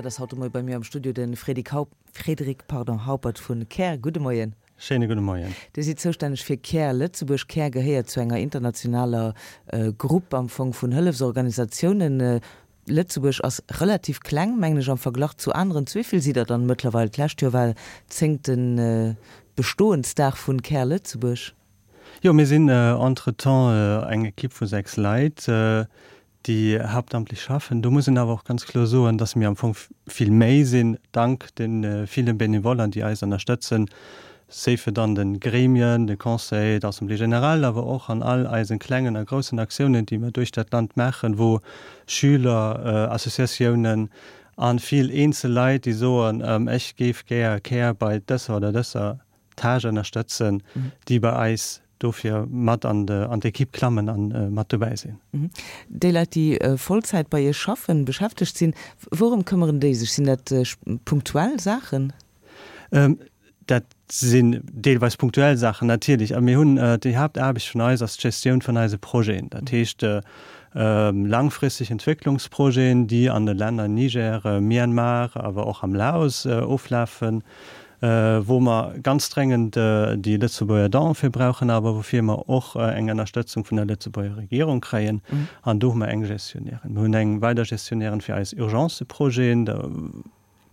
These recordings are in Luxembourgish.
ass haut de Moie bei mir am Studio, de Frédéric Haup, Frédéric, pardon, Haupert vu Care. Gudde Moien. Schéine gudde Moien. Dir sidd zoustänneg fir Care Lëtzebuerg. Care gehéiert zu enger internationaler Grupp am Fong vun Hëllefsorganisatiounen. Lëtzebuerg ass relativ kleng, mengen ech, am Verglach zu aneren. Zu wéi vill sidd der dann mëttlerweil? D'lescht Joer war zéngte Bestoensdag vun Care Lëtzebuerg. Jo, mir sinn entretemps eng Ekipp vu 6 Leit, déi haaptamtlech schaffen. Do muss een awer och ganz kloer soen, dass mir am Fong vill méi sinn, dank de ville Benevollen, déi eis ënnerstëtzen, safe et an de Gremien, de Conseil, d'Assemblée générale, awer och an all eise klengen a groussen Aktiounen, déi mir duerch dat Land maachen, wou Schüler, Associatiounen a vill eenzel Leit, déi soen, ech géif gär Care bei dëser oder dëser Tâche ënnerstëtzen, déi bei eis dofir mat an d'Ekipp klammen a mat dobäi sinn. Déi Leit, déi Vollzäit bei Iech schaffen, beschäftegt sinn, wourëm këmmeren déi sech? Sinn dat punktuell Saachen? Dat sinn deelweis punktuell Saachen natierlech. A mir hunn, déi Haaptaarbecht vun eis ass d'Gestioun vun eise Projeten. Dat heescht langfristeg Entwécklungsprojeten, déi an de Länner Niger, Myanmar, awer och am Laos oflafen, wou mer ganz dréngend déi Lëtzebuerger Don fir brauchen, awer woufir mer och eng Ënnerstëtzung vun der Lëtzebuerger Regierung kréien. An do hu mer eng Gestionnairin. Mir hunn eng weider Gestionnairin fir eis Urgenceprojeten. De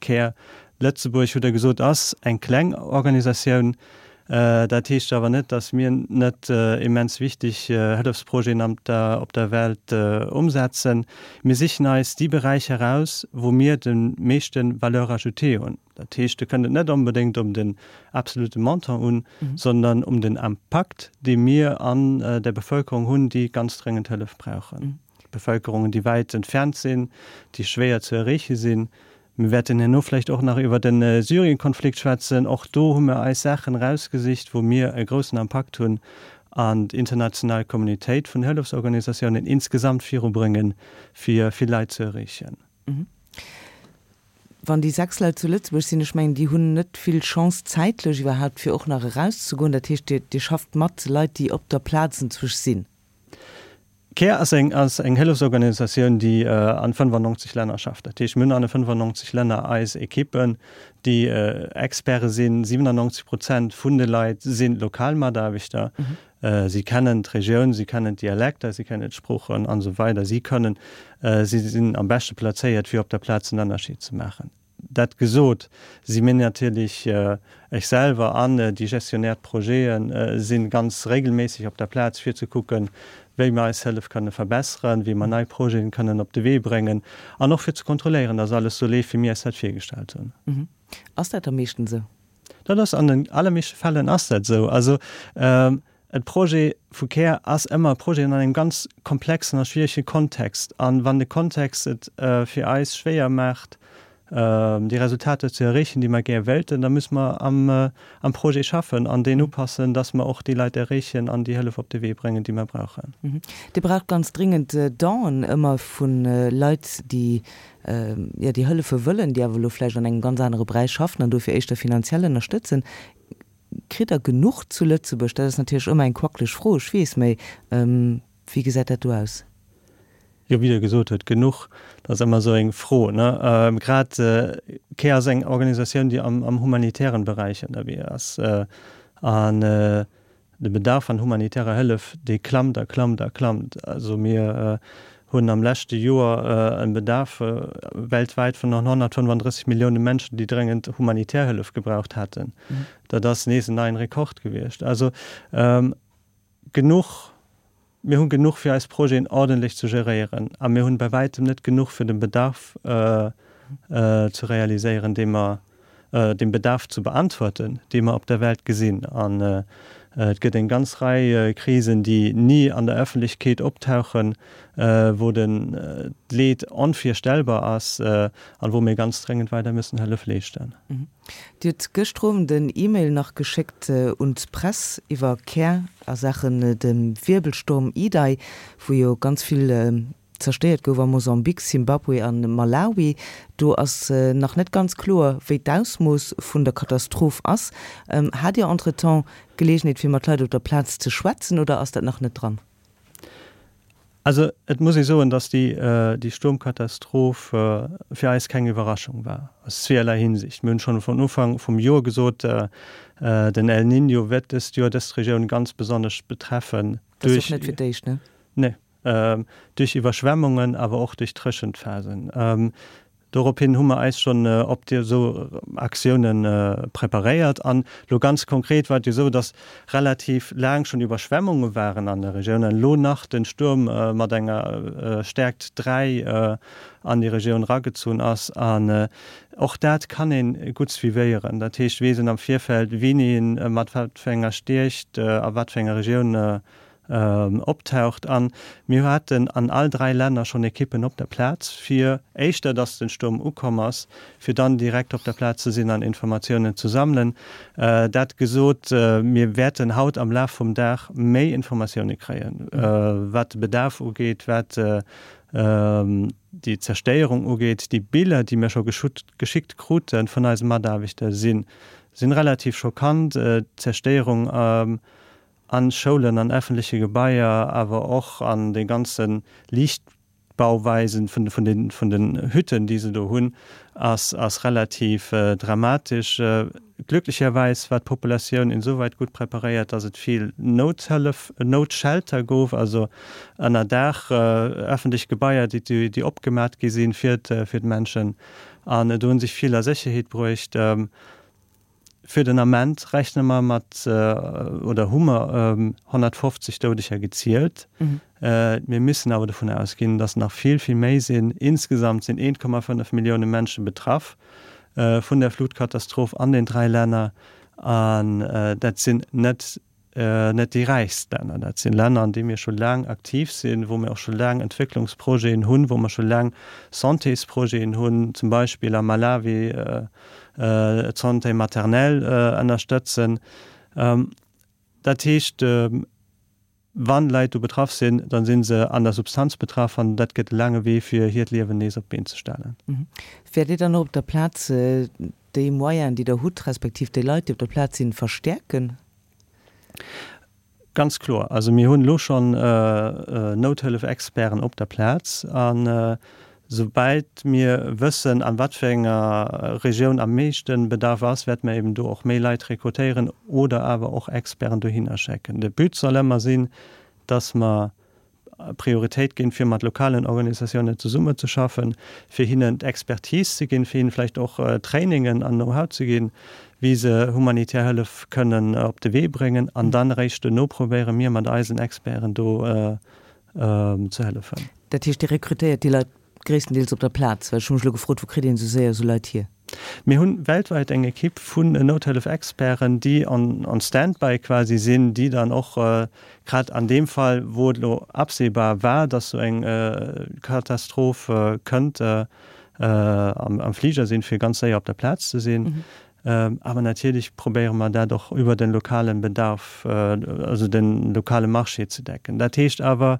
Care Lëtzebuerg, hutt Der gesot, ass eng kleng Organisatioun. Dat heescht awer net, datt mir net immens wichteg Hëllefsprojeten op der Welt ëmsetzen. Mir sichen eis déi Beräicher eraus, wou mir de meeschte Valeur ajoutée hunn. Dat heescht, do kënnt et net onbedéngt op den absolute Montant un, sondern um den Impakt, dee mir an der Bevölkerung hunn, déi ganz dréngend Hëllef brauchen. Bevölkerungen, déi wäit entfernt sinn, déi schwéier ze erreeche sinn. Mir wäerten herno vläicht och nach iwwer de Syrien-Konflikt schwätzen. Och do hu mir eis Saachen erausgesicht, wou mir e groussen Impakt hunn an d'international Communautéit vun Hëllefsorganisatiounen insgesamt virubrëngen, fir vill Leit ze erreechen. Wann déi 6 Leit zu Lëtzebuerg sinn, ech mengen, déi hunn net vill Chance zäitlech iwwerhaupt, fir och nach erauszegoen. Dat heescht, Dir, Dir schafft mat Leit, déi op der Plaz enzwusch sinn. Care ass eng, ass eng Hëllefsorganisatioun, déi an 95 Länner schafft. Dat heescht, mir hunn an de 95 Länner eis Ekippen, déi Experte sinn. 97 Prozent vun de Leit si lokal Mataarbechter. Si kennen d'Regioun, si kennen d'Dialekter, si kennen d'Sproochen an esou weider. Si kënnen, si sinn am beschte plazéiert, fir op der Plaz en Ënnerscheed ze maachen. Dat gesot, si mir natierlech, ech selwer an déi Gestionnaires de projeten si ganz regelméisseg op der Plaz, fir ze kucken, wéi mir eis Hëllef kënne verbesseren, wéi mer nei Projeten kënnen op de Wee bréngen an och fir ze kontrolléieren, dass alles esou leeft, wéi mir eis dat virgestallt hunn. Ass dat da meeschtens esou? Dat ass an den allermeeschte Fällen ass dat esou. Also e Projet vu Care ass ëmmer e Projet an engem ganz komplexen a schwierege Kontext. An wann de Kontext et fir eis schwéier maacht, déi Resultater ze erreechen, déi mer gär wéilten, da musse mer am Projet schaffen an deen upassen, dass mer och déi Leit erreechen an déi Hëllef op de Wee bréngen, déi mer brauchen. Dir braucht ganz dringend Donen ëmmer vu Leit, déi jo, déi hëllefe wëllen, déi awer elo vläicht an engem ganz anere Beräich schaffen an dofir éischter finanziell ënnerstëtzen. Kritt Der genuch zu Lëtzebuerg? Dat ass natierlech ëmmer eng quackleg Fro, ech weess, mä wéi gesäit dat do aus? Jo, wéi Der gesot hutt, genuch, dat ass ëmmer esou eng Fro, ne? Grad care ass eng Organisatioun, déi am humanitären Beräich ënnerwee ass an De Bedarf an humanitärer Hëllef, dee klammt a klammt a klammt. Also mir hunn am leschte Joer e Bedarf weltwäit vun 135 Millioune Menschen, déi dréngend humanitär Hëllef gebraucht hätten. Dat ass nees en neien Rekord gewiescht. Also genuch, mir hu genuch fir eis Projeten ordentlech ze geréieren a mir hunn bei wäitem net genuch fir de Bedarf ze realiséieren, dee mer dem Bedarf ze beantworten, dee mer op der Welt gesinn. An et gëtt eng ganz Rei Krisen, déi ni an der Öffentlechkeet optauchen, wou den d'Leed onvirstellbar ass an wou mir ganz dréngend weider müssen Hëllef leeschten. Dir hutt gëschter Owend en E-Mail nach geschéckt un d'Press iwwer Care a Saachen dem Wirbelsturm Idai, wou jo ganz vill zerstéiert gouf a Mosambik, Simbabwe a Malawi. Do ass nach net ganz kloer, wéi d'Ausmooss vun der Katastroph ass. Hat Dir entretemps Geleegenheet fir mat Leit op der Plaz ze schwätzen oder ass dat nach net dran? Also et muss ee soen, datt déi Stuermkatastroph fir eis keng Iwwerraschung war, aus zweeërlei Hinsicht. Mir hunn schonn vun Ufank vum Joer gesot, den El Niño wäert dëst Joer dës Regioun ganz besonnesch betreffen. Dat ass och net fir d'éischt, ne? Nee. Duerch Iwwerschwemmungen, awer och duerch Dréchentphasen. Dorophin hu mer eis schonn op déi esou Aktiounen preparéiert. An elo ganz konkret war et jo esou, dass relativ laang schonn Iwwerschwemmunge waren an der Regioun an elo nach den Stuerm mat enger Stäerkt 3 an déi Regioun eragezunn ass. An och dat kann ee gutt suivéieren. Dat heescht, weess een am Virfeld, wéini en mat wat fir enger Stierkt a wat fir enger Regioun optaucht. An mir haten an all 3 Länner schonn Ekippen op der Plaz, fir éischter dass den Stuerm ukomm ass, fir dann direkt op der Plaz ze sinn an Informatiounen ze sammelen. Dat gesot, mir wäerten haut am Laf vum Dag méi Informatioune kréien, wat de Bedarf ugeet, wat déi Zerstéierung ugeet. Déi Biller, déi mir scho geschickt krute vun eise Mataarbechter, si relativ schockant. D'Zerstéierung An Schoulen, an effentleche Gebaier, awer och an de ganze Liichtbauweisen vun den Hütten, déi se do hunn, ass relativ dramatesch. Glücklicherweis war d'Populatioun insoweit gutt preparéiert, dass et vill Nouthëllef, Noutshelter gouf, also ënner Daach effentlech Gebaier, déi opgemat gi sinn fir d'Menschen. An do hu sech vill a Sécherheet bruecht. Fir den Ament rechne mer mat, oder hu mer 150 Doudeger gezielt. Mir müssen awer dovun ausginn, datt nach vill, vill méi sinn. Insgesamt sinn 1,5 Millioune Mënsche betraff vun der Flutkatastroph an den 3 Länner. An dat sinn net net déi räichst Länner. Dat sinn Länner, an deene mir scho laang aktiv sinn, wou mir och scho laang Entwécklungsprojeten hunn, wou mer scho laang Santésprojeten hunn, zum Beispill am Malawi d'Santé maternelle ënnerstëtzen. Dat heescht, wann Leit do betraff sinn, da si se an der Substanz betraff an dat gëtt e laange Wee, fir hiert Liewen nees op d'Been ze stellen. Wäert Dir dann och op der Plaz déi Moyenen, déi Der hutt, respektiv déi Leit, déi op der Plaz sinn, verstäerken? Ganz kloer. Also mir hunn elo schonn Nouthëllef-Experten op der Plaz. A soubäit mir wëssen, an wat fir enger Regioun am meeschte Bedarf ass, wäerte mir eben do och méi Leit rekrutéieren oder awer och Experten dohinner schécken. De But soll ëmmer sinn, dass mer Prioritéit ginn, fir mat lokalen Organisatiounen zesummezeschaffen, fir hinnen d'Expertise ze ginn, fir hinnen vläicht och Trainingen an Know-how ze ginn, wéi se humanitär Hëllef kënnen op de Wee bréngen. An dann eréischt duerno probéiere mir mat eisen Experten do ze hëllefen. Dat heescht, Dir rekrutéiert déi Leit Gréisstendeels op der Plaz, well ech hu mech elo gefrot, wou kritt een esou séier esou Leit hier? Mir hunn weltwäit eng Ekipp vun Nouthëllef-Experten, déi on stand-by quasi sinn, déi dann och grad an deem Fall, wou et elo absehbar war, dass esou eng Katastroph kënnt, am Fliger sinn, fir ganz séier op der Plaz ze sinn. Awer natierlech probéiere mer dat och iwwer de lokale Bedarf, also de lokale Marché ze decken. Dat heescht awer,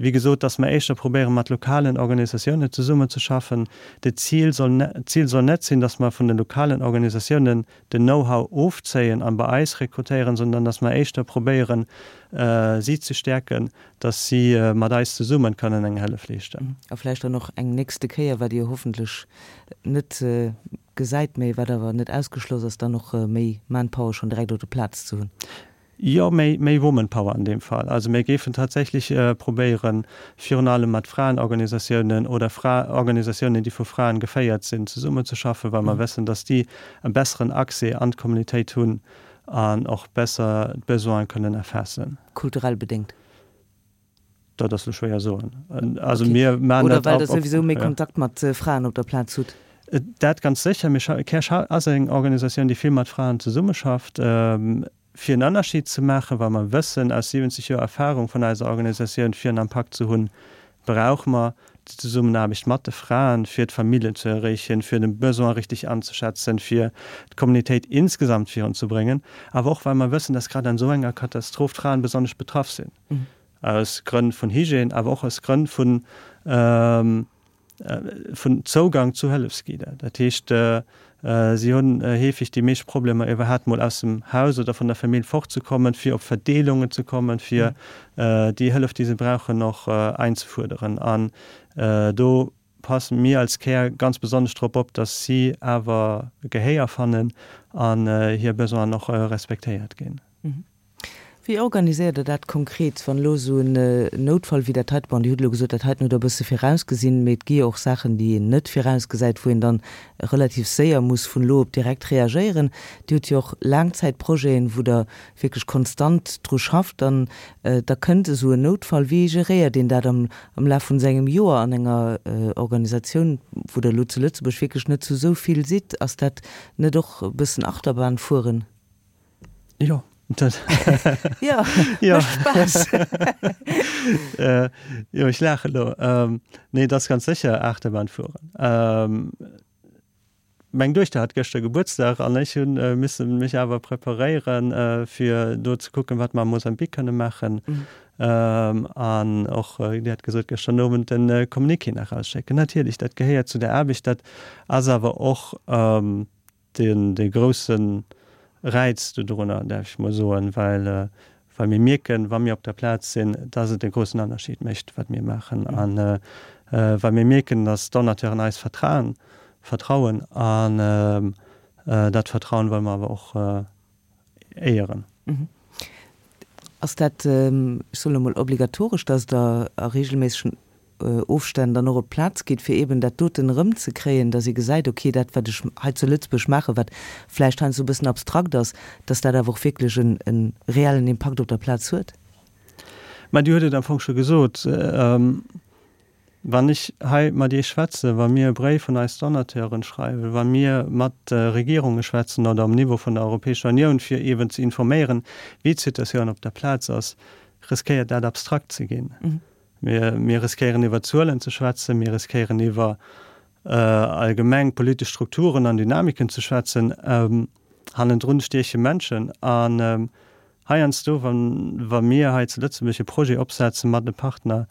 Wéi gesot, dass mer éischter probéiere mat lokalen Organisatiounen zesummenzeschaffen. De Zil soll, d'Zil soll net sinn, dass mer vun de lokalen Organisatiounen den Know-how ofzéien an bei eis rekrutéieren, sondern dass mer éischter probéieren, si ze stäerken, dass si mat eis zesummen kënnen eng Hëllef leeschten. A vläicht dann och eng nächste Kéier, wat Dir hoffentlech net gesäit, mä wat awer net ausgeschloss ass, dann och méi Manpower schonn direkt op der Plaz ze hunn. Jo, méi, méi Womanpower an deem Fall. Also mir géifen tatsächlech probéieren, virun allem mat Fraenorganisatiounen oder Fra, Organisatiounen, déi vu Fraen geféiert sinn, zesummenzeschaffen, well mer wëssen, dass déi e besseren Accès an d'Communautéit hunn an och besser d'Besoine kënnen erfaassen. Kulturell bedéngt? Dat ass lo schwéier soen. Also mir maachen dat. Oder well Der souwisou méi Kontakt mat Fraen op der Plaz hutt? Dat ganz sécher. Mir scha, Care ass eng Organisatioun, déi vill mat Fraen zesummeschafft. Fir en Ënnerscheed ze maachen, well mer wëssen aus 70 Joer Erfahrung vun eiser Organisatioun, fir en Impakt ze hunn, brauche mer déi Zesummenaarbecht mat de Fraen, fir d'Familljen ze erreechen, fir de Besoin richtig anzeschätzen, fir d'Communautéit insgesamt virunzebréngen, awer och well mer wëssen, dass grad an esou enger Katastroph d'Fraen besonnesch betraff sinn, aus Grënn vun Hygiène, awer och aus Grënn vun vun Zougang zu Hëllefsgidder. Dat heescht. Si hunn heefeg déi meescht Problemer iwwerhaapt mol aus dem Haus oder vun der Famill fortzekommen, fir op Verdeelungen ze kommen, fir déi Hëllef, déi se brauchen, och einzefuerderen. An do passe mir als Care ganz besonnesch drop op, dass si awer Gehéier fannen an hir Besoinen och respektéiert ginn. Wéi organiséiert Der dat konkret, wann elo esou en Noutfall wéi dat heite, bon, Dir hutt elo gesot, dat heiten hutt Der e bësse virausgesinn, mee et gi jo och Saachen, déi een net virausgesäit, wou een dann relativ séier muss vun elo op direkt reagéieren. Dir hutt jo och Laangzäitprojeten, wou Der wierklech konstant dru schafft an da kënnt esou en Noutfall. Wéi geréiert een dat am Laf vun esou engem Joer an enger Organisatioun, wou Der elo zu Lëtzebuerg wierklech net zu esou vill sidd? Ass dat net och e bëssen Achterbahn fueren? Jo, dat. Jo, mécht Spaass. Jo, ech laachen elo. Nee, et ass ganz sécher Achterbahn fueren. Meng Duechter hat gëschter Gebuertsdag an ech hu misse mech awer preparéieren, fir do ze kucken, wat mer am Mosambik kënne maachen. An och, Dir hat gesot, gëschter Owend de Communiqué nach erausschécken. Natierlech, dat gehéiert zu der Aarbecht. Dat ass awer och deen dee grousse Räiz dodrunner, däerf ech mol soen, well well mir mierken, wa mir op der Plaz sinn, dass et e groussen Ënnerscheed mécht, wat mir maachen, a well mir mierken, dass d'Donateuren eis vertrauen, vertrauen an dat Vertrauen wëlle mer awer och éieren. Ass dat, ech soen elo mol, obligatoresch, dass Der a regelméissegen Ofstänn dann och op d'Plaz geet, fir eeben dat doten erëmzekréien, dass ee gesäit, okay, dat wat ech hei zu Lëtzebuerg maachen, wat vläicht heiansdo e bëssen abstrakt ass, dass dat awer och wierklech e reellen Impakt op der Plaz huet? Mä Dir hutt et am Fong scho gesot. Wann ech hei mat Iech schwätzen, wa mir e Bréif un eis Donateuren schreiwen, wa mir mat de Regierunge schwätzen oder um Niveau vun der Europäescher Unioun, fir eeben ze informéieren, wéi d'Situatioun op der Plaz ass, riskéiert dat abstrakt ze ginn. Mir riskéieren iwwer Zuelen ze schwätzen, mir riskéieren iwwer allgemeng politesch Strukturen an Dynamiken ze schwätzen. Hannendrun stieche Menschen. An heiansdo, wa mir hei zu Lëtzebuerg e Projet opsetze mat e Partner,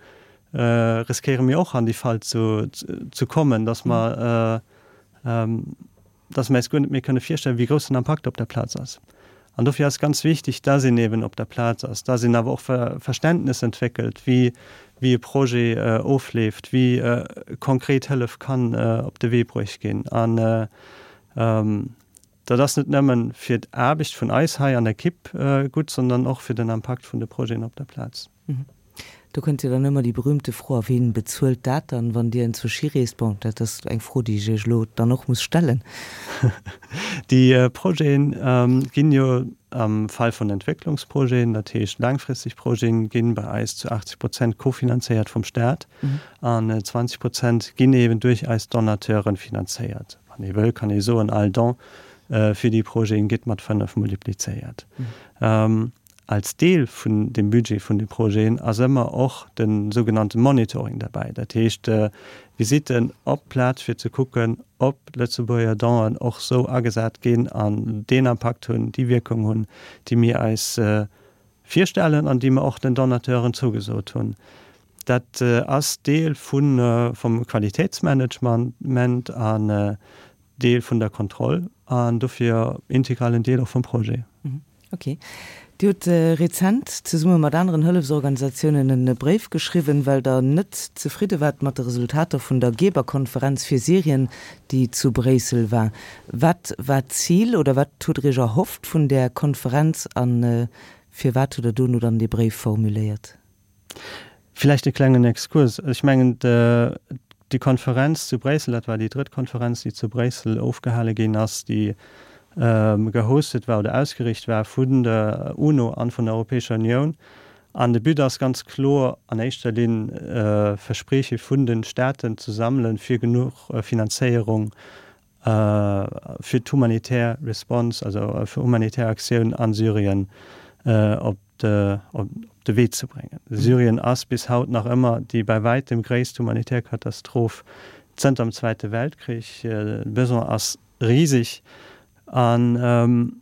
riskéiere mir och an déi Fal ze kommen, dass mer dass mer eis guer net méi kënne virstellen, wéi grouss den Impakt op der Plaz ass. An dofir ass ganz wichtig, dass een eben op der Plaz ass, dass een awer och Verständnes entwéckelt, wéi wéi e Projet ofleeft, wéi konkret Hëllef kann op de Wee bruecht ginn. An dat ass net nëmmen fir d'Aarbecht vun eis hei an der Ekipp gutt, sondern och fir den Impakt vun de Projeten op der Plaz. Do kënnt jo dann ëmmer déi berühmte Fro, a ween bezuelt dat dann, wann Dir enzwousch hireest? Bon, dat ass eng Fro, déi ech Iech elo dann och muss stellen. Déi Projeten ginn jo am Fall vun Entwécklungsprojeten, dat heescht laangfristeg Projeten, ginn bei eis zu 80 Prozent kofinanzéiert vum Staat an 20 Prozent ginn eeben duerch eis Donateuren finanzéiert. Wann ee wëll, kann ee soen, all Don fir déi Projeten gétt mat 5 multiplizéiert. Als Deel vun dem Budget vun de Projeten ass ëmmer och de sougenannte Monitoring derbäi, dat heescht Visitten op d'Plaz fir ze kucken, ob Lëtzebuerger Donen och sou agesat ginn an deen Impakt hunn, déi Wierkung hunn, déi mir eis virstellen an déi mer och den Donateuren zougesot hunn. Dat ass Deel vum Qualitätsmanagement an Deel vun der Kontroll an dofir integralen Deel och vum Projet. Ok. Dir hutt rezent zesumme mat aneren Hëllefsorganisatiounen e Bréif geschriwwen, well Der net zefridde waart mat de Resultater vun der Geberkonferenz fir Syrien, déi zu Bréissel war. Wat war d'Zil oder wat hutt Der Iech erhofft vun där Konferenz a firwat hutt Der dono dann dee Bréif formuléiert? Villäicht e klengen Exkurs. Ech mengen, déi Konferenz zu Bréissel, dat war déi drëtt Konferenz, déi zu Bréissel ofgehale ginn ass, déi gehostet war oder ausgeriicht war vun der UNO an vun der Europäescher Unioun. An de But ass ganz kloer an éischter Linn, Versprieche vun de Staaten ze sammelen, fir genuch Finanzéierung fir d'humanitär Response, also fir humanitär Aktioun a Syrien op de op de Wee ze bréngen. Syrien ass bis haut nach ëmmer déi bei wäitem gréisst humanitär Katastroph zënter dem Zweite Weltkrich. De Besoin ass riseg an.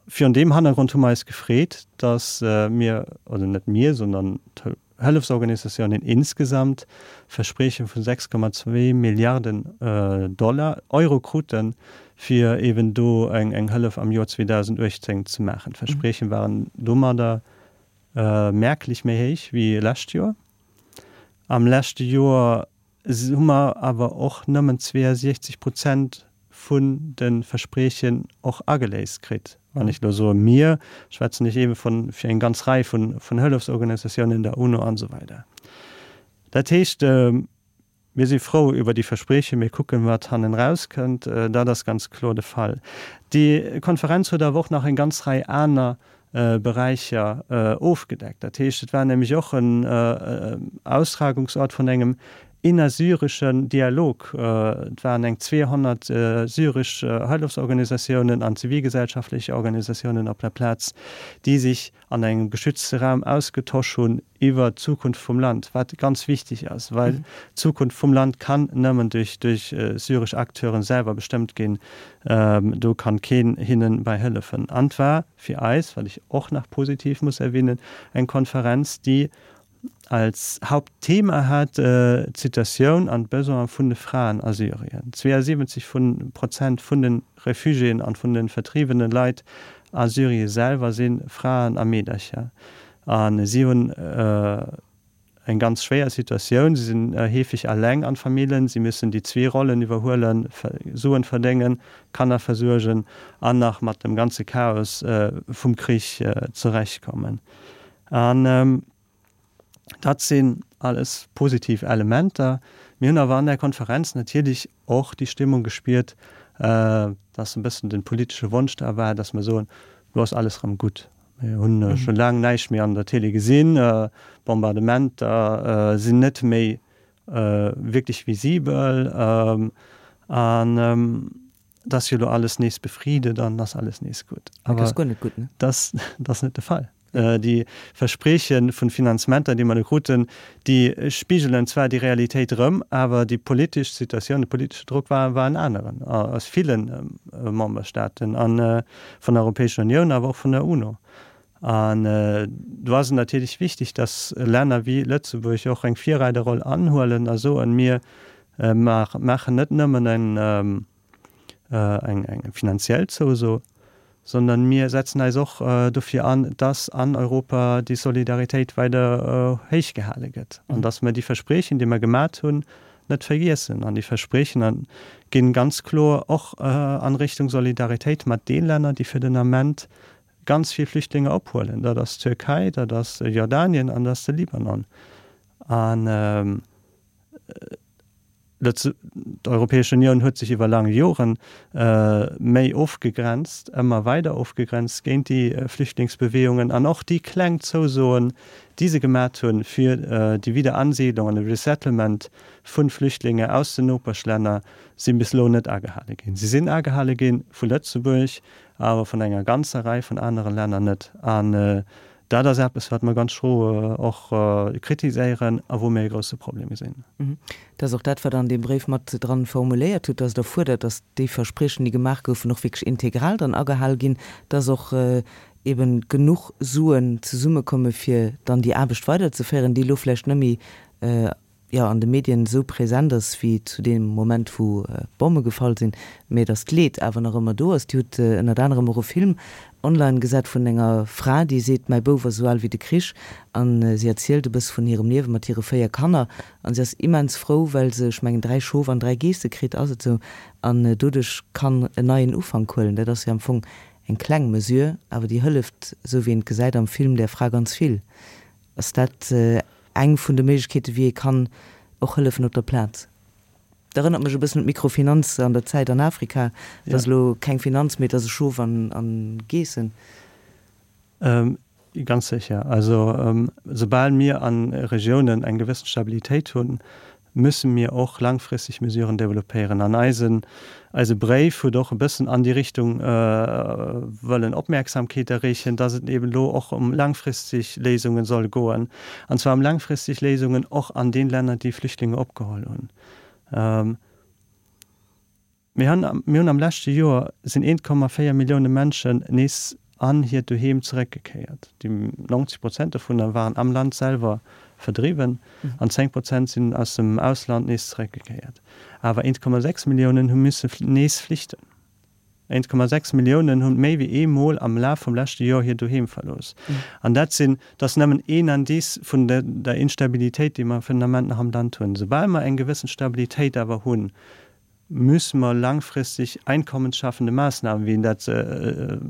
Virun deem Hannergrond hu mer eis gefreet, dass mir, oder net mir, sondern d'Hëllefsorganisatiounen insgesamt, Versprieche vu 6,2 Milliarden Dollar, Euro kruten, fir eeben do eng Hëllef am Joer 2018 ze maachen. D'Versprieche waren domadder merklech méi héich wéi lescht Joer. Am leschte Joer hu mer awer och nëmmen 62 Prozent vun de Verspriechen och ageléist kritt. Wann ech elo soe mir, schwätzen ech eebe vun fir eng ganz Rei vun Hëllefsorganisatiounen, der UNO an esou weider. Dat heescht, mir si frou iwwer déi Verspriechen, mir kucken, wat hannen erauskënnt. Dat ass ganz kloer de Fall. Déi Konferenz huet awer och nach eng ganz Rei aner Beräicher ofgedeckt. Dat heescht, et war nämlech och en Austragungsort vun engem innersyreschen Dialog. Et waren eng 200 syresch Hëllefsorganisatiounen an zivilgesellschaftlech Organisatiounen op der Plaz, déi sech an engem geschützte Raum ausgetosch hunn iwwer d'Zukunft vum Land, wat ganz wichteg ass, well d'Zukunft vum Land kann nëmmen duerch duerch syresch Acteuren selwer bestëmmt ginn. Do kann keen hinnen bei hëllefen. An et war fir eis, wat ech och nach positiv muss erwähnen, eng Konferenz, déi als Hauptthema hat d'Situatioun an d'Besoine vun de Fraen a Syrien. 72 vun Prozent vun de Refugiéen an vun de vertriebene Leit a Syrie selwer si Fraen a Meedercher. A si hunn eng ganz schwéier Situatioun. Si sinn heefeg eleng an Famillen, si müssen déi zwee Rollen iwwerhuelen, Suen verdéngen, Kanner versuergen an nach mat dem ganze Chaos vum Krich zurechtkommen. An dat sinn alles positiv Elementer. Mir hunn awer an där Konferenz natierlech och déi Stimmung gespiert, dass e bëssen de politesche Wonsch da war, dass mer soen, Elo ass alles erëm gutt. Mir hunn scho laang näischt méi an der Télé gesinn. D'Bombardementer sinn net méi wierklech visibel. An et ass jo elo alles nees befriedet an ass alles nees gutt. Awer dat ass guer net gutt, ne? Dat ass net de Fall. Déi Versprieche vun Finanzementer, déi mer do kruten, déi spigelen zwar déi Realitéit erëm, awer déi politesch Situatioun, de politesche Drock war war en aneren aus ville Memberstaaten a vun der Europäescher Unioun, awer och vun der UNO. An do ass et natierlech wichteg, datt Länner wéi Lëtzebuerg och eng Virreiderroll anhuelen a soen, mir maachen net nëmmen en eng finanziell Zouso, sondern mir setzen eis och dofir an, dass an Europa déi Solidaritéit weider héich gehale gëtt an dass mer déi Verspriechen, déi mer gemat hunn, net vergiessen. An déi Verspriechen ginn ganz kloer och an Richtung Solidaritéit mat de Länner, déi fir den Ament ganz vill Flüchtlinge ophuelen. Dat ass d'Türkei, dat ass Jordanien an dat ass de Libanon. An D'Europäesch Unioun huet sech iwwer laang Jore méi ofgegrenzt, ëmmer weider ofgegrenzt géint déi Flüchtlingsbeweegungen an och déi kleng Zousoen, déi se gemat hunn, fir déi Wiederansiedlung an de Resettlement vu Flüchtlinge aus den Nopeschlänner, si bis elo net agehale ginn. Si sinn agehale gi vu Lëtzebuerg, awer vun enger ganzer Rei vun anere Länner net. An Dat ass eppes, wat mer ganz schro och kritiséieren a wou mir e grousse Problem gesinn. Dat ass och dat, wat Der an deem Bréif mat dran formuléiert hutt, dass Der fuerdert, dass déi Verspriechen, déi gemaach goufen, och wierklech integral dann agehal ginn, dass och eben genuch Suen zesummekomme fir dann déi Aarbecht weiderzeféieren, déi elo vläicht net méi jo, an de Medien esou präsent ass wéi zu deem Moment, wou d'Bomme gefall sinn, mä datt d'Leed awer nach ëmmer do ass. Dir hutt ënnert anerem och e Film online gesat vun enger Fra, déi seet, Mäi Bouf ass esou al wéi de Krich. A si erzielt e bësse vun hirem Liewe mat hire 4 Kanner. A si ass immens frou, well se, ech mengen, 3 Schof an 3 Geesse kritt, ass et esou? An doduerch kann en neien Ufank huelen. Dat ass jo am Fong eng kleng Mesure, awer déi hëlleft, esou wéi een et gesäit am Film, där Fra ganz vill. Ass dat eng vun de Méiglechkeeten, wéi ee kann och hëllefen op der Plaz? Dat erënnert mech e bëssen un d'Mikrofinanz an der Zäit an Afrika. Et ass elo keng Finanz, mee et ass e Schof an Geessen. Ganz sécher. Also soubal mir a Regiounen eng gewëssen Stabilitéit hunn, müsse mir och langfristeg Mesuren développéieren. An eisen, eise Bréif huet och e bëssen an déi Richtung wëllen Opmerksamkeet erreechen, dass et eben elo och ëm langfristeg Léisungen soll goen, an zwar ëm langfristeg Léisungen och an den Länner, déi Flüchtlinge opgeholl hunn. Mir hunn, mir hunn am leschte Joer sinn 1,4 Millioune Menschen nees. an hiert Doheem zeréckgekéiert. Déi 90 Prozent dovunner waren am Land selwer verdriwwen an 10 Prozent sinn aus dem Ausland nees zeréckgekéiert. Awer 1,6 Milliounen hu misse nees flichten. 1,6 Milliounen hunn méi wéi ee Mol am Laf vum leschte Joer hiert Doheem verlooss. An dat sinn, dat ass nëmmen een Indice vun der Instabilitéit, déi mer fir den Ament nach am Land hunn. Soubal mer eng gewëssen Stabilitéit awer hunn, müsse mer langfristig einkommensschaffende Maßnahmen, wéi een dat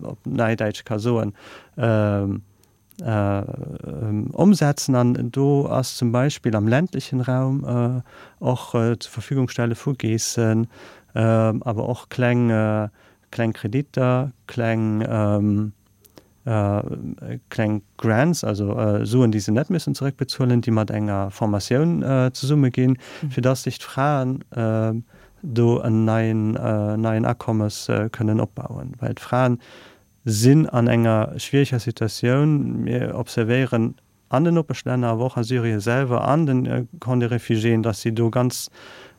op Neidäitsch ka soen, ëmsetzen. An do ass zum Beispill am ländlechen Raum och zur Verfügung stelle vu Geessen, awer och kleng, kleng Kreditter, kleng, kleng Grants, also Suen, déi se net müssen zeréckbezuelen, déi mat enger Formatioun zesumme ginn, fir dass sech d'Fraen do en neien, neien Akommes kënnen opbauen. Well d'Fraen sinn an enger schwiereger Situatioun. Mir observéieren an den Nopeschlänner, awer och a Syrien selwer, an de Camps de réfugiéen, dass si do ganz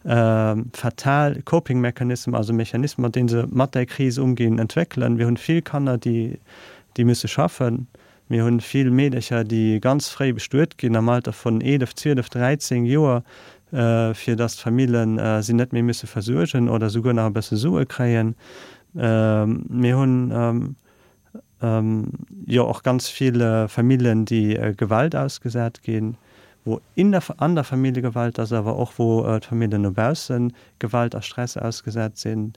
fatal Coping mechanism, also Mechanismen, mat deene se mat där Kris umginn, entwéckelen. Mir hunn vill Kanner, déi musse schaffen. Mir hunn vill Meedercher, déi ganz fréi bestuet ginn, am Alter vun 11, 12, 13 Joer, fir dass d'Famillen si net méi musse versuergen oder souguer nach e bësse Sue kréien. Mir hunn jo och ganz vill Famillen, déi Gewalt ausgesat ginn, wou in der, an der Famillje Gewalt ass, awer och wou d'Famillen no bausse Gewalt a Stress ausgesat sinn.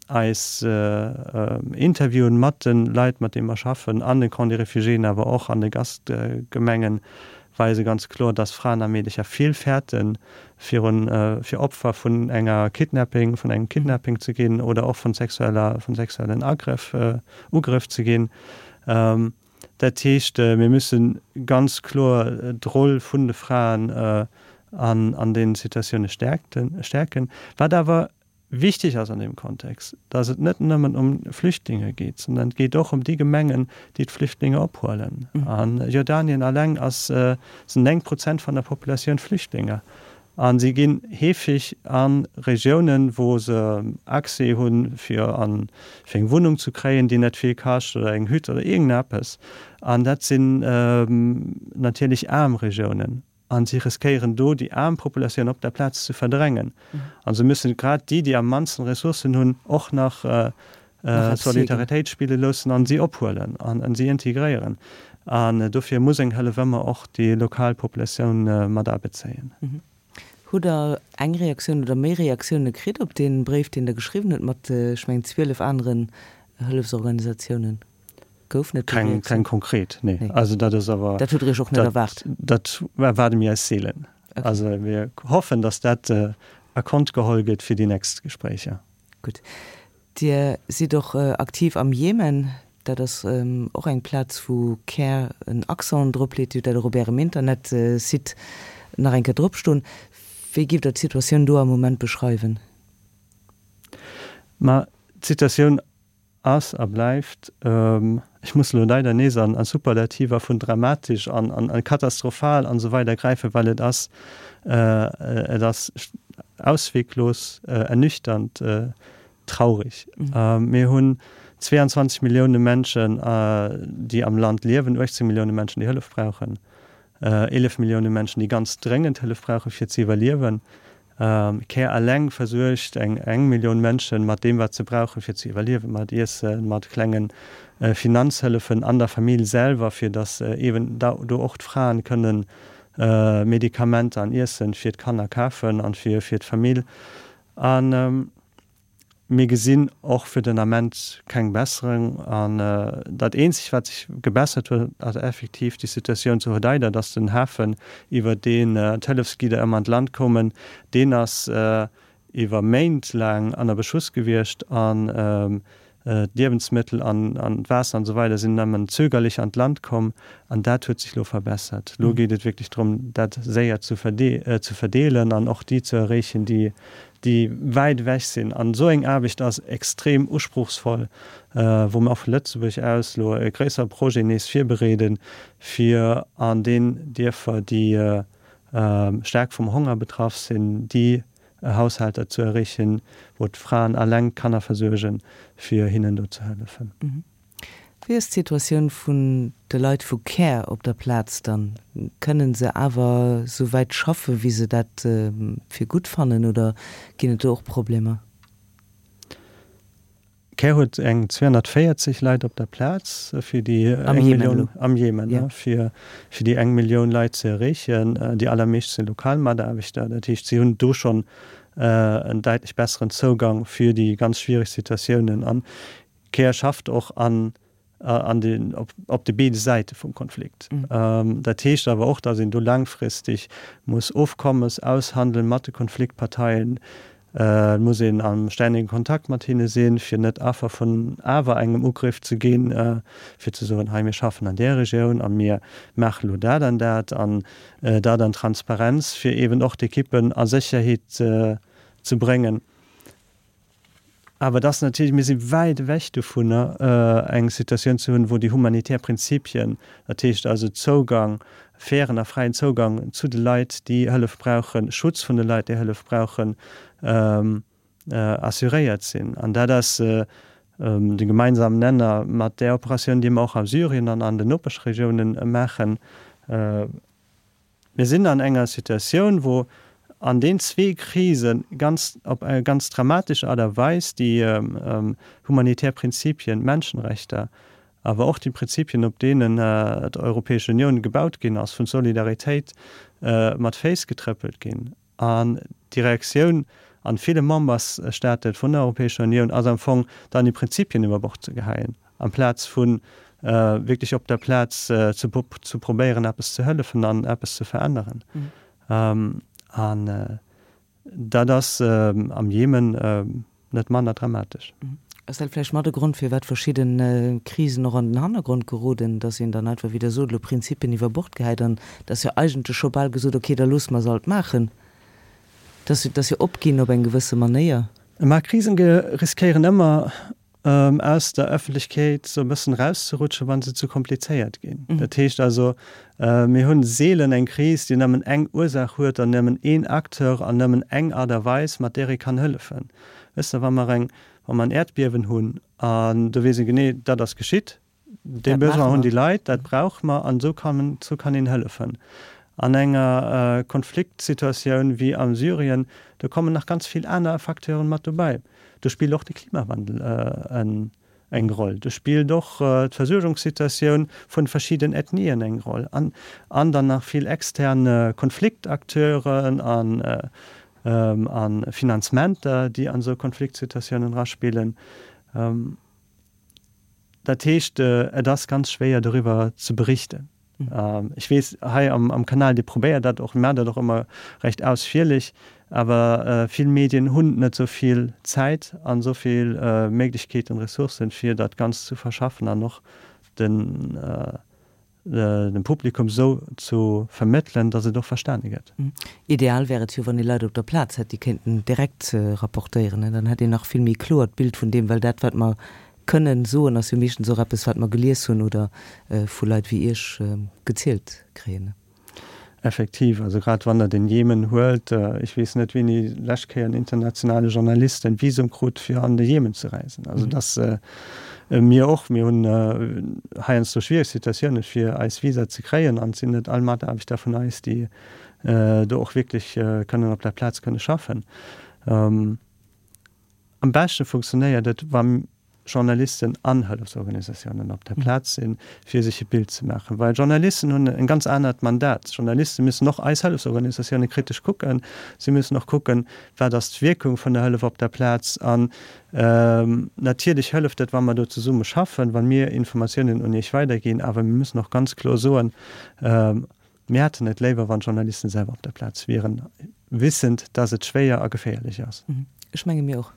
Eis Interviewen mat de Leit, mat deene mer schaffen, an de Camps de réfugiéen, awer och an de Gastgemengen, weise ganz kloer, dass Fraen a Meedecher vill fäerten, virun, fir Opfer vun enger Kidnapping, vun engem Kidnapping ze ginn oder och vun sexueller, vun sexuellen Agrëff, Ugrëff ze ginn. Dat heescht, mir müssen ganz kloer d'Roll vun de Fraen an, an deenen Situatioune stärkten, stärken. Wat awer Wichteg ass an deem Kontext, dass et net nëmmen ëm Flüchtlinge geet, sondern et geet och ëm déi Gemengen, déi d'Flüchtlinge ophuelen. A Jordanien alleng ass, sinn 9 Prozent vun der Populatioun Flüchtlinge. A si ginn heefeg a Regiounen, wou se Accès hunn, fir an, fir eng Wunnung ze kréien, déi net vill kascht, oder eng Hütt oder iergendeppes. An dat sinn natierlech aarm Regiounen. A si riskéieren do, déi aarm Populatioun op der Plaz ze verdrängen. A se müssen grad déi, déi am mannsten Ressourcen hunn, och nach Solidaritéit spille loossen a si ophuelen a si integréieren. An dofir muss eng Hëllef ëmmer och déi lokal Populatioun mat abezéien. Hutt Der eng Reaktioun oder méi Reaktioune kritt op dee Bréif, deen Der geschriwwen hutt mat, ech mengen, 12 aneren Hëllefsorganisatiounen? Goufen et do Reaktiounen? Keng konkret, nee. Also dat ass awer. Dat hutt Der Iech och net erwaart? Dat erwaarde mir eis seelen. Also mir hoffen, datt dat a Kont geholl gëtt fir déi nächst Gespréicher. Gutt. Dir sidd och aktiv am Jemen. Dat ass och eng Plaz, wou Care en Accent drop leet. Dir hutt dat och op Ärem Internetsite nach eng Kéier drop stoen. Wéi giff Der d'Situatioun do am Moment beschreiwen? Ma d'Situatioun Ass a bleift, ech muss elo leider nees an Superlativer vun dramatesch an katastrophal an esou weider gräifen, well et ass, et ass ausweglos, ernüchternd, traurig. Mir hunn 22 Millioune Menschen, déi am Land liewen, 18 Millioune Menschen, déi Hëllef brauchen, 11 Millioune Menschen, déi ganz dréngend Hëllef brauchen, fir ze iwwerliewen. Care eleng versuergt eng eng Millioun Mënschen mat deem wat se brauchen fir ze iwwerliewen, mat Iessen, mat klengen Finanzhëllefen an der Famill selwer, fir datt eben do och d'Fraen kënnen Medikamenter an Iessen fir d'Kanner kafen an fir d'Famill. An Mir gesinn och fir den Ament keng Besserung. An dat eenzegt, wat sech gebessert huet, ass effektiv déi Situatioun zu Hodeida, dass den Hafen, iwwer deen d'Hëllefsgidder ëmmer an d'Land koumen, deen ass iwwer Méint laang ënner Beschuss gewiescht an d'Liewensmëttel an d'Waasser an esou weider sinn nëmmen zögerlech an d'Land komm. An dat huet sech elo verbessert. Elo geet et wierklech drëm, dat séier ze verdeelen an och déi ze erreechen, déi déi wäit ewech sinn. An esou eng Aarbecht ass extrem usprochsvoll, wou mer och vu Lëtzebuerg aus elo e gréissere Projet nees virbereeden, fir an den Dierfer, déi staark vum Honger betraff sinn, déi Haushalter ze erreechen, wou d'Fraen alleng d'Kanner versuergen, fir hinnen do ze hëllefen. Wéi ass d'Situatioun vun de Leit vu Care op der Plaz dann? Kënnen se awer sou wäit schaffen, wéi se dat fir gutt fannen, oder ginn et do och Problemer? Care huet eng 240 Leit op der Plaz, fir déi eng Millioun, am Jemen, fir déi eng Millioun Leit ze erreechen. Déi allermeescht si lokal Mataarbechter. Dat heescht, si hunn do schonn en däitlech besseren Zougang fir déi ganz schwiereg Situatiounen. An Care schafft och an an den, op, op de béide Säite vum Konflikt. Dat heescht awer och, datt een do laangfristeg muss Ofkommes aushandelen mat de Konfliktparteien. Et muss een am stännege Kontakt mat hinne sinn, fir net Affer vun awer engem Ugriff ze ginn, fir ze soen, hei mir schaffen an där Regioun a mir maache lo dat an dat an dat an Transparenz, fir eeben och d'Ekippen a Sécherheet ze bréngen. Awer et ass natierlech, mir si wäit ewech dovunner, eng Situatioun ze hunn, wou déi humanitär Prinzipien, dat heescht also Zougang, fairen a fräien Zougang zu de Leit, déi Hëllef brauchen, Schutz vun de Leit, déi Hëllef brauchen, assuréiert sinn. An dat ass de gemeinsamen Nenner mat där Operatioun, déi mer och a Syrien an an den Nopeschregiounen maachen. Mir sinn an enger Situatioun, wou an den zwee Krise ganz op eng ganz dramatesch Aart a Weis déi humanitär Prinzipien, d'Menschenrechter, awer och déi Prinzipien, op deenen d'Europäesch Unioun gebaut ginn ass, vun Solidaritéit, mat Féiss getrëppelt ginn. An déi Reaktioun an ville Membersstate vun der Europäescher Unioun ass am Fong dann déi Prinzipien iwwer Bord ze geheien, amplaz vu wierklech op der Plaz ze ze probéieren eppes ze hëllefen an eppes ze veränneren. An dat ass am Jemen net manner dramatesch. Ass dat vläicht mat e Grond, firwat verschidde Krisen och an den Hannergrond geroden, dass een dann einfach, wéi Der sot, elo Prinzipien iwwer Bord gehäit an et ass jo eigentlech scho bal gesot, okay, da loosse mer se alt maachen. Dat ass jo opginn op eng gewësse Manéier. Mä Krisen riskéieren ëmmer aus der Ëffentlechkeet esou e bëssen erauszerutschen, wa se zu komplizéiert ginn. Dat heescht also, mir hunn seelen eng Kris, déi nëmmen eng Ursaach huet an nëmmen een Acteur an nëmmen eng Aart a Weis, mat där ee kann hëllefen. Wësst Der, wa mer eng, wa mer en Äerdbiewen hunn an do weess ee genee, dat ass geschitt, dee Besoin hunn déi Leit, dat brauche mer an esou kann, esou kann een hëllefen. An enger Konfliktsituatioun wéi a Syrien, do kommen nach ganz vill aner Facteuren mat dobäi. Do spillt och de Klimawandel eng Roll, do spillt och d'Versuergungssituatioun vun verschidden Ethnien eng Roll an an dann nach vill extern Konfliktakteuren an a Finanzementer, déi an esou Konfliktsituatiounen eraspillen. Dat heescht, et ass ganz schwéier doriwwer ze berichten. Ech weess, hei am Kanal, Dir probéiert dat och, maacht dat och ëmmer recht ausfierlech, awer vill Medien hunn net esou vill Zäit an esou vill Méiglechkeeten, Ressourcen, fir dat Ganzt ze verschaffen an och den dem Publikum esou ze vermëttelen, datt et och verstane gëtt. Ideal wär et jo, wann ee Leit op der Plaz hätt, déi kéinten direkt rapportéieren. Dann hätt een nach vill méi kloert Bild vun deem, well dat, wat mer kënnen soen, ass jo meeschtens och eppes, wat mer gelies hunn oder vu Leit wéi Iech gezielt kréien. Effektiv, also grad wann Der den Jemen huelt, ech weess net, wéini lescht Kéier en internationale Journalist en Visum krut, fir an de Jemen ze reisen. Also dass mir och, mir hunn heiansdo schwiereg Situatiounen, fir eis Visa ze kréien an et sinn net all Mataarbechter vun eis, déi do och wierklech kënnen op der Plaz kënne schaffen. Am beschte funktionéiert et, wa Journalisten an Hëllefsorganisatiounen op der Plaz sinn, fir sech e Bild ze maachen. Well Journalisten hunn en ganz anert Mandat. Journaliste müssen och eis Hëllefsorganisatioune kritesch kucken. Si müssen och kucken, wat ass d'Wierkung vun der Hëllef op der Plaz. An natierlech hëlleft et, wa mer do zesumme schaffen, wa mir Informatiounen un Iech weiderginn. Awer mir müssen och ganz kloer soen, Mir hätten et léiwer, wann d'Journalisten selwer op der Plaz wieren, wissend, dass et schwéier a geféierlech ass. Ech menge mir och.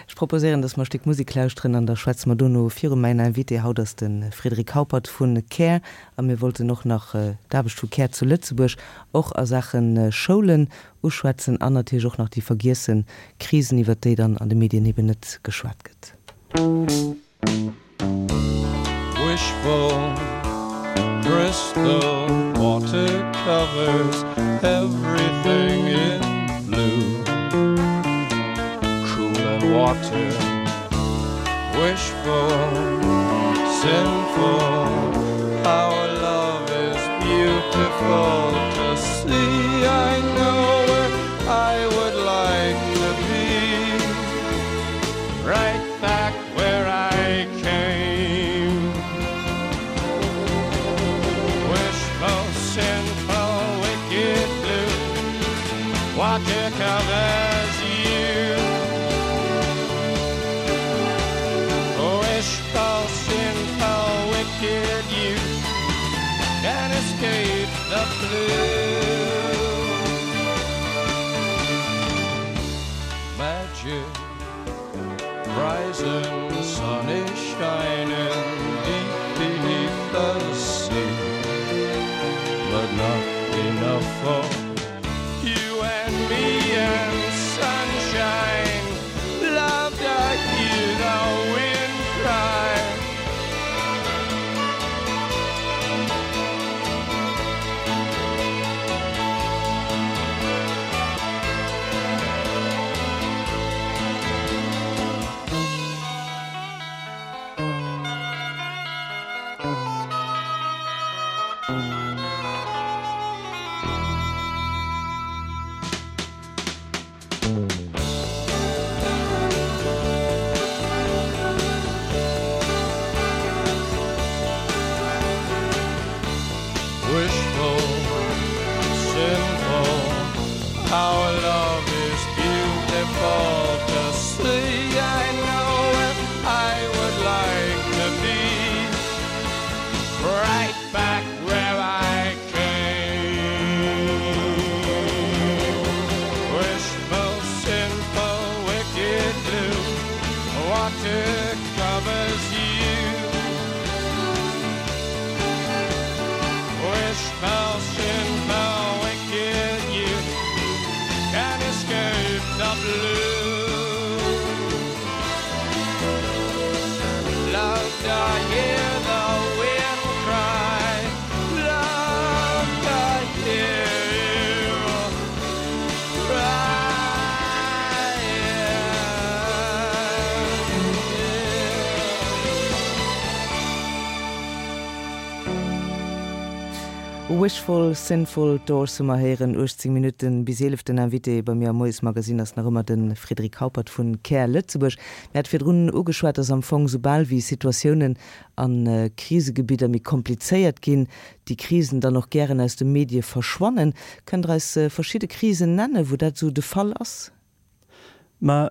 Ech proposéieren, dass mer e Stéck Musek lauschteren an da schwätze mer dono viru. Mäin Invité haut ass de Frédéric Haupert vu Care a mir wollten och nach d'Aarbecht vu Care zu Lëtzebuerg och a Saache Schoulen uschwätzen an natierlech och nach déi vergiesse Krisen, iwwert déi dann an de Medien eben net geschwat gëtt. Wishful crystal water covers everything in blue Cool and water Wishful. beautiful to see. I know where I would like to be. Right back where I came. Wishful, sinful, wicked blue. Water covers you. Wishful, sinful, wicked you can escape the blue. Magic rising sun is shining deep beneath the sea, but not enough for you and me and sunshine. Love to hear the wind cry. Wishful, sinful, our love is beautiful to see. I know where I would like to be. Right back where I came. Wishful, sinful, wicked blue, water covers you. Wishful, sinful, wicked you can escape the blue. Love to hear the wind cry. Love to hear you cry. Wishful, Sinful, Doors hu mer héieren. 18 Minutten bis 11. Den Invité bei mir am Moiesmagazin ass nach ëmmer de Frédéric Haupert vu Care Lëtzebuerg. Mir hate virdrun ugeschwat, dass am Fong soubal wéi Situatiounen a Krisegebidder méi komplizéiert ginn, déi Krisen dann och gären aus de Medie verschwannen. Kënnt Der eis verschidde Krisen nennen, wou dat esou de Fall ass? Ma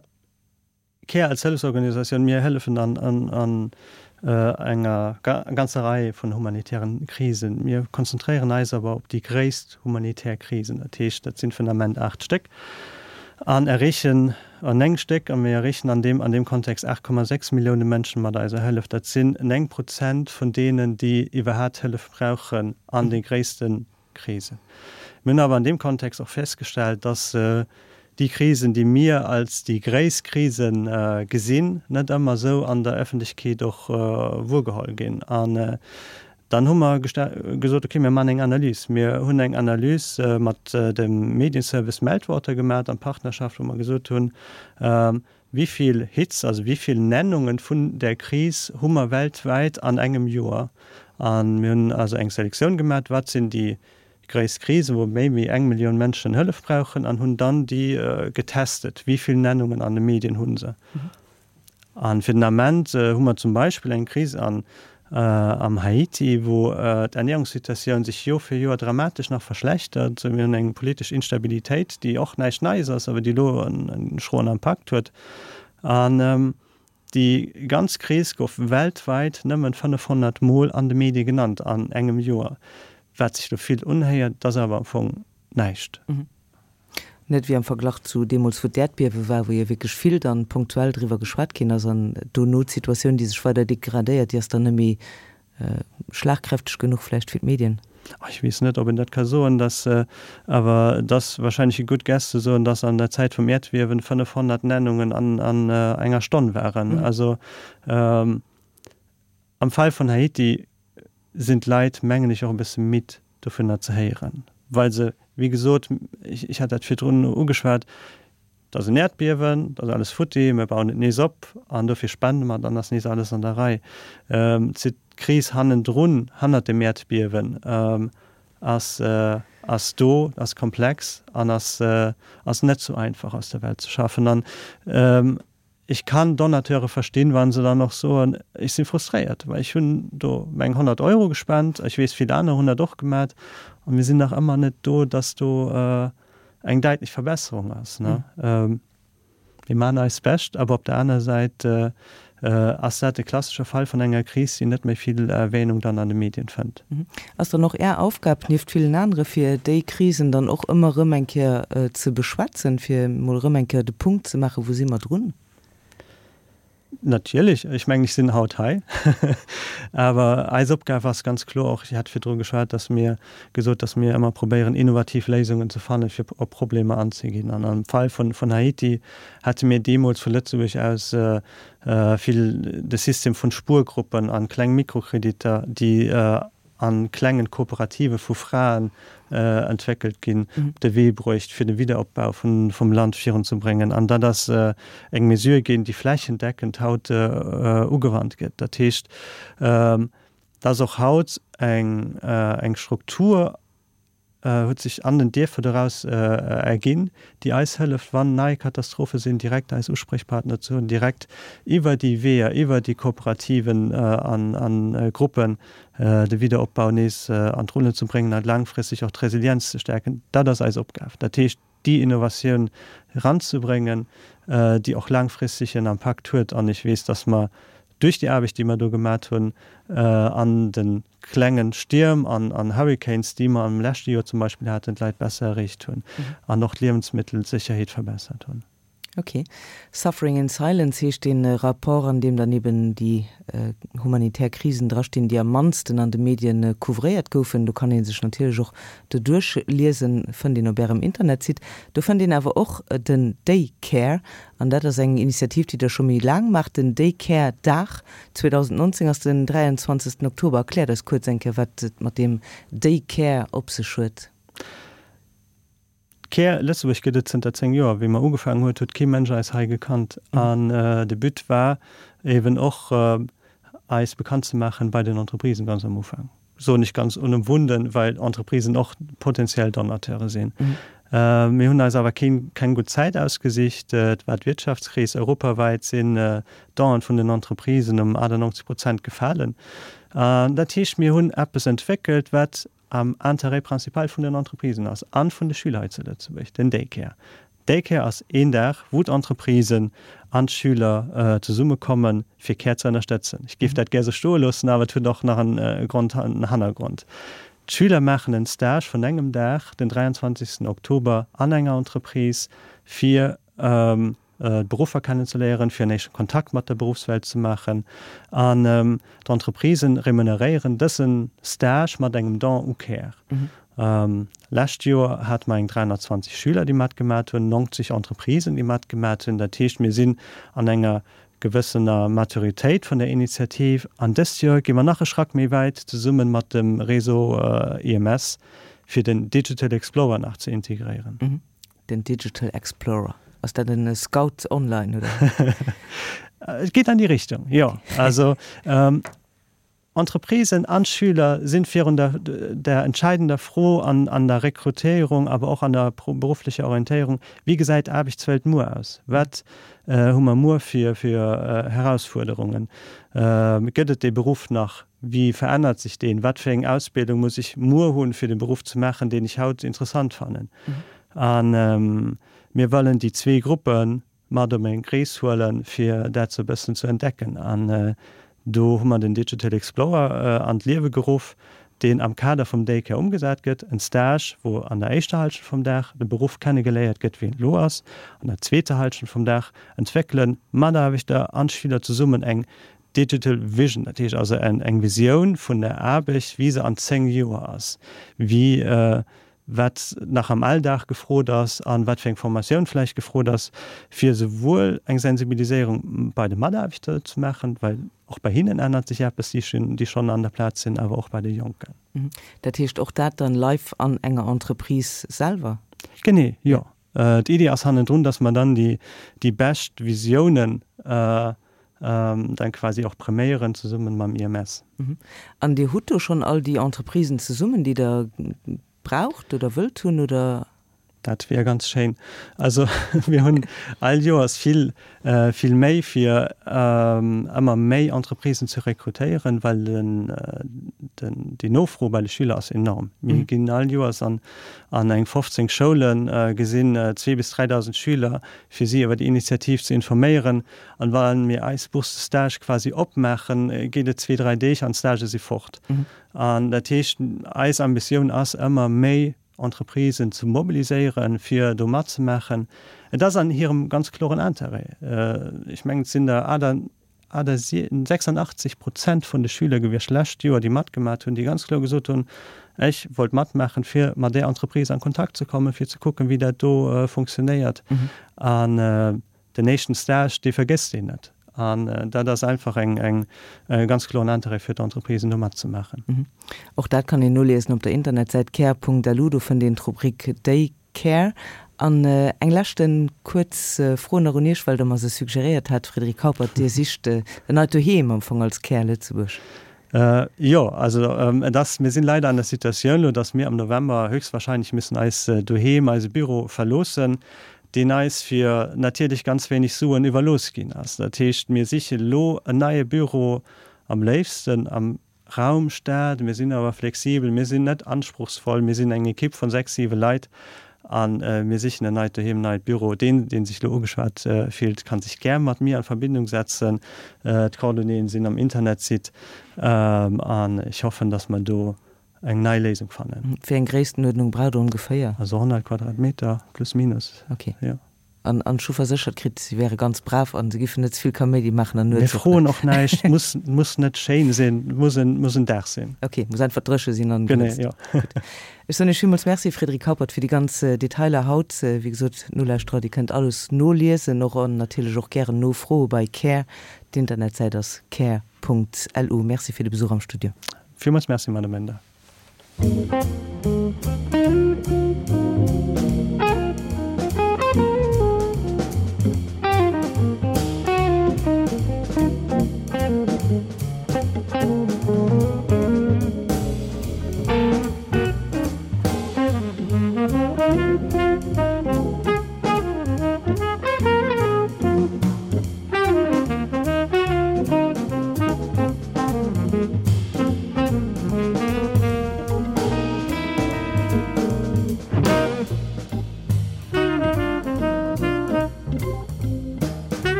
Care als Hëllefsorganisatioun, mir hëllefen an enger ganzer Rei vun humanitären Krisen. Mir konzentréieren eis awer op déi gréisst humanitär Krisen, dat heescht, dat sinn vun Ament 8 Stéck, an erreechen, 9 Stéck, a mir erreechen an deem an deem Kontext 8,6 Millioune Mënschen mat eiser Hëllef. Dat sinn 9 Prozent vun deenen, déi iwwerhaat Hëllef brauchen an de gréisste Krisen. Mir hunn awer an deem Kontext och festgestellt, dass déi Krisen, déi mir als déi gréisst Krise gesinn, net ëmmer esou an der Öffentlechkeet och wuergeholl ginn. An dann hu mer gesot, okay, mir maachen eng Analys. Mir hunn eng Analys mat dem Medienservice Meltwater gemaach an Partnerschaft, wou mer gesot hunn, Wéi vill Hits, also wéi vill Nennungen vun där Kris hu mer weltwäit an engem Joer? A mir hunn also eng Selektioun gemaat, wat sinn déi gréisst Krisen, wou méi wéi eng Millioun Mënschen Hëllef brauchen, an hunn dann déi getestet, wéi vill Nennungen an de Medien hu se. A fir den Ament hu mer zum Beispill eng Kris an Am Haiti, wou d'Ernährungssituatioun sech Joer fir Joer dramatesch nach verschlechtert. Mir hunn eng politesch Instabilitéit, déi och näischt Neies ass, awer déi elo e schroen Impakt huet. An déi ganz Kris gouf weltwäit nëmmen 500 Mol an de Medie genannt an engem Joer. Wat sech elo vill unhéiert, et ass awer am Fong näischt. Net wéi am Verglach zu deemools, wou d'Äerdbiewe war, wou jo wierklech vill dann punktuell driwwer geschwat ginn ass an dono d'Situatioun, déi sech weider degradéiert, déi ass dann net méi schlagkräfteg genuch vläicht fir d'Medien. Ech weess net, ob een dat ka soen, dass, awer et ass wahrscheinlech e good guess ze soen, dass an der Zäit vum Äerdbiewen 500 Nennungen an enger Stonn waren. Also am Fall vun Haiti sinn d'Leit, mengen ech, och e bësse midd dovunner ze héieren, well se, wéi gesot, ech hat dat virdrun ugeschwat, et ass en Äerdbiewen, et ass alles futti, mir bauen et nees op an dofir spende mer, dann ass nees alles an der Rei. D'Kris hannendrun, hannert dem Äerdbiewen. Ass, ass do, ass komplex an ass, ass net sou einfach aus der Welt ze schaffen. An ech kann Donateure verstinn, wa se dann och soen, ech si frustréiert, well ech hunn do meng 100 Euro gespent, ech weess, vill aner hunn dat och gemat a mir sinn nach ëmmer net do, dass do eng däitlech Verbesserung ass. Mir maachen eist Bescht, awer op der aner Säit ass dat e klassesche Fall vun enger Kris, déi net méi vill Erwähnung dann an de Medien fënnt. Ass dann och Är Aufgab, nieft villen anere, fir déi Krisen dann och ëmmer erëm eng Kéier ze beschwätzen, fir emol erëm eng Kéier de Punkt ze maachen, wou si mer drun? Natierlech, ech mengen, ech sinn haut hei. Awer eis Opgab ass ganz kloer och, ech hat virdru geschwat, datt mir gesot, datt mir ëmmer probéieren, innovativ Léisungen ze fannen, fir op Problemer anzeginn. An am Fall vun Haiti hate mir deemools vu Lëtzebuerg aus vill de System vun Spuergruppen an kleng Mikrokreditter, déi a klengen Kooperative vu Fraen entwéckelt ginn, op de Wee bruecht, fir de Wiederopbau vum Land virunzebréngen. An dat ass eng Mesure ginn, déi flächendeckend haut ugewannt gëtt. Dat heescht, dass och haut eng Struktur huet sech an den Dierfer doraus erginn, déi eis hëlleft, wann nei Katastrophe sinn, direkt eis Usprichpartner ze hunn, direkt iwwer déi Weeër, iwwer déi Kooperativen a Gruppen de Wiederopbau nees an d'Rullen ze bréngen a laangfristeg och d'Resilienz ze stäerken. Dat ass eis Opgab. Dat heescht, déi Innovatioun eranzebréngen, déi och laangfristeg en Impakt huet. An ech weess, dass mer duerch déi Aarbecht, déi mer do gemat hunn, an de klenge Stierm an Hurricanes, déi mer am leschte Joer zum Beispill haten, d'Leit besser erreecht hunn an och d'Liewensmittelsécherheet verbessert hunn. Ok. Suffering in Silence heescht dee Rapport, an deem dann eben déi humanitär Krisen drastinn, déi am mannsten an de Medien couvréiert goufen. Do kann ee sech natierlech och doduerch liesen, fënnt een op Ärem Internetsite. Do fënnt een awer och den Day Care, an dat ass eng Initiativ, déi Der scho méi laang maacht. Den Day Care Dag 2019 ass den 23. Oktober. Erkläert eis kuerz eng Kéier, wat et mat deem Day Care op sech huet. Care Lëtzebuerg gëtt et zënter 10 Joer. Wéi mer ugefaangen huet, huet kee Mënsch eis hei gekannt. An de But war eben och eis bekannt ze maachen bei den Entreprisen ganz am Ufank. Soen ech ganz unëmwunden, well Entreprisen och potenziell Donateure sinn. Mir hunn eis awer keen, keng gutt Zäit ausgesicht. Et war d'Wirtschaftskris, europawäit sinn d'Donen vun den Entreprisen ëm 98 Prozent gefalen. An dat heescht, mir hunn eppes entwéckelt, wat am Intérêt principal vun den Entreprisen ass an vun de Schüler hei zu Lëtzebuerg, den Daycare. Daycare ass een Dag, wou d'Entreprisen an d'Schüler zesummekommen, fir Care ze ënnerstëtzen. Ech géif dat gär esou stoe loossen, awer et huet och nach en Grond, en Hannergrond. D'Schüler maachen en Stage vun engem Dag, den 23. Oktober, an enger Entreprise, fir d'Beruffer kennenzeléieren, fir en éischte Kontakt mat der Beruffswelt ze maachen. An d'Entreprisen remuneréieren dëse Stage mat engem Don u Care. Lescht Joer hate mer eng 320 Schüler, déi matgemat hunn, 90 Entreprisen, déi matgemat hunn. Dat heescht, mir sinn an enger gewëssener Maturitéit vun der Initiativ. An dëst Joer gi mer nach e Schrack méi wäit, zesumme mat dem Réseau IMS, fir den Digital Explorer nach ze integréieren. Den Digital Explorer, ass dat en Scout online oder? Et geet an déi Richtung, jo. Also Entreprisen an Schüler sinn virun der der entscheidender Fro an an der Rekrutéierung, awer och an der berufflecher Orientéierung, Wéi gesäit d'Aarbechtswelt muer aus? Wat hu mer muer fir fir Herausfuerderungen? Gëtt et dee Beruff nach? Wéi verännert sech deen? Wat fir eng Ausbildung muss ech muer hunn, fir de Beruff ze maachen, deen ech haut interessant fannen? A mir wëllen déi zwee Gruppe mat op eng Rees huelen, fir dat sou e bëssen ze entdecken. An do hu mer den Digital Explorer an d'Liewe geruff, deen am Kader vum Daycare ëmgesat gëtt, en Stage, wou an der éischter Halschent vum Dag de Beruff kennegeléiert gëtt, wéi en elo ass. An der zweeter Halschent vum Dag entwéckelen d'Mataarbechter an d'Schüler zesummen eng Digital Vision, dat heescht also eng Visioun vun der Aarbecht, wéi se an 10 Joer ass, wéi, wat nach am Alldag gefrot ass an wat fir eng Formatioun vläicht gefrot ass, fir esouwuel eng Sensibiliséierung bei de Mataarbechter ze maachen, well och bei hinnen ännert sech eppes, déi schonn an der Plaz sinn, awer och bei de Jonken. Dat heescht och dat dann live an enger Entreprise selwer? Genee, jo. D'Iddi ass hannendrun, dass mer dann déi bescht Visiounen. Dann quasi och präméieren zesummen mam IMS. An Dir hutt do schonn all déi Entreprisen zesummen, déi Der braucht oder wëllt hunn, oder? Dat wier ganz schéin. Also mir hunn all Joers vill, vill Méi fir ëmmer méi Entreprisen ze rekrutéieren, well den, den, déi Nofro bei de Schüler ass enorm. Mir ginn all Joers an, an eng 15 Schoulen, gesinn zwee bis 3.000 Schüler, fir si iwwer déi Initiativ ze informéieren. An wa mir eis Bourse de stage quasi opmaachen, geet et zwee, dräi Deeg an d'Stagë si fort. An dat heescht, eis Ambitioun ass ëmmer méi Entreprisen ze mobiliséieren, fir do matzemaachen. Et ass an hirem ganz kloren Intérêt. Ech mengen, et sinn der 86 Prozent vun de Schüler gewiescht lescht Joer, déi matgemat hunn, déi ganz kloer gesot hunn, Ech wollt matmaachen, fir mat där Entreprise an Kontakt ze kommen, fir ze kucken, wéi dat do funktionéiert. An Den éischten Stage, dee vergësst een net. An dat ass einfach eng, eng, e ganz kloren Interêt fir d'Entreprisen, do matzemaachen. Och dat kann een noliesen op der Internetsäit care.lu. Do fënnt een d'Rubrik Day Care. An eng leschte kuerz Fro nach un Iech, well Der mer se suggeréiert hat, Frédéric Haupert, Dir sicht en neit Doheem am Fong als Care Lëtzebuerg. Jo, also et ass, mir sinn leider an der Situatioun elo, datt mir am November höchstwahrscheinlech müssen eis Doheem, eise Büro verloossen, deen eis fir natierlech ganz wéineg Suen iwwerlooss ginn ass. Dat heescht, mir siche elo en neie Büro, am léifsten am Raum Stad. Mir sinn awer flexibel, mir sinn net anspruchsvoll, mir sinn eng Ekipp vun sechs, siwe Leit a mir sichen en neit Doheem, en neit Büro. Deen, dee sech elo ugeschwat fillt, ka sech gär mat mir an Verbindung setzen. D'Coordonnéeën sinn am Internetsite an ech hoffen, dass mer do eng nei Léisung fannen. Wéi eng Gréisstenuerdnung braucht Der ongeféier? Also 100 Quadratmeter, plus minus. Ok. Jo. An ech hu verséchert kritt, si wäre ganz brav an se giffen net ze vill Kaméidi maachen an nuets. Mir froen och näischt. Muss, muss net schéin sinn, muss en, muss en Dag sinn. Ok, muss einfach dréche sinn an. Genee, jo. Gutt. Ech soen Iech villmools Merci, Frédéric Haupert, fir déi ganz Detailer haut. Wéi gesot, Nolauschterer, Dir kënnt alles noliesen och an natierlech och gären nofroe bei Care. D'Internetsäit ass care.lu. Merci fir de Besuch am Studio. Villmools Merci, Madame Bender.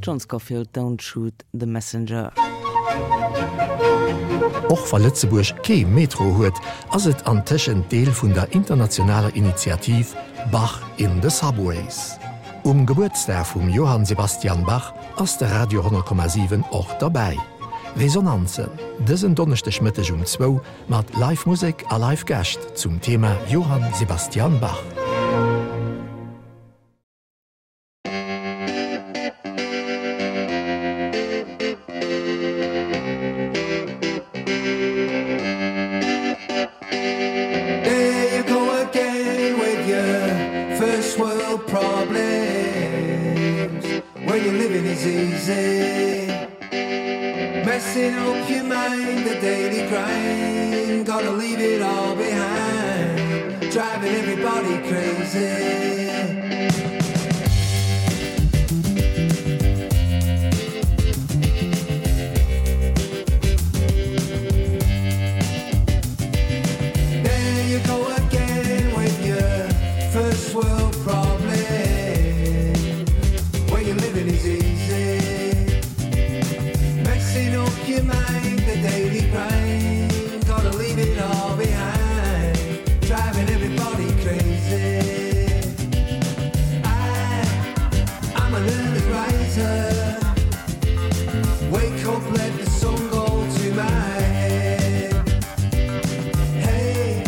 John Scofield, Don't Shoot the Messenger. Och wa Lëtzebuerg kee Metro huet, ass et antëschent Deel vun der internationaler Initiativ Bach in the Subways. Um Gebuertsdag vum Johann Sebastian Bach ass de Radio 10,7 och derbäi. Resonanzen, dësen Donneschdeg Mëtteg um zwou mat Live Musek a Live Gäscht zum Thema Johann Sebastian Bach. There you go again with your first world problems Where you're living is easy Messing up your mind, the daily grind Gotta leave it all behind Driving everybody crazy There you go again with your first world problems Where you're living is easy Messing up your mind, the daily grind Gotta leave it all behind Driving everybody crazy I, I'm an early riser Wake up, let the sun go to my head Hey,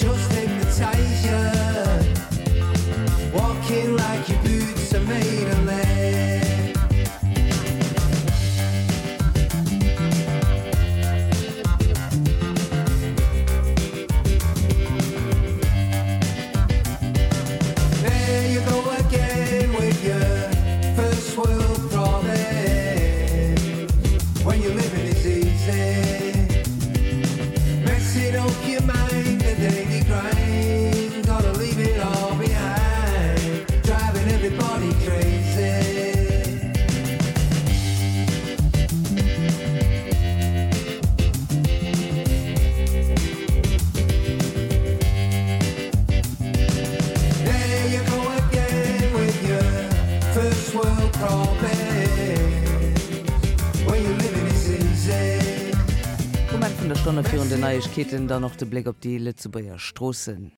just hypnotize ya Walking like your boots are made of lead There you go again with your first world problems When you're living is easy Messing up your mind, the daily grind Gotta leave it all behind Driving everybody crazy There you go again with your first world problems Where you living is easy Um Enn vun der Stonne virun den Neiegkeeten dann och de Bléck op déi Lëtzebuerger Stroossen.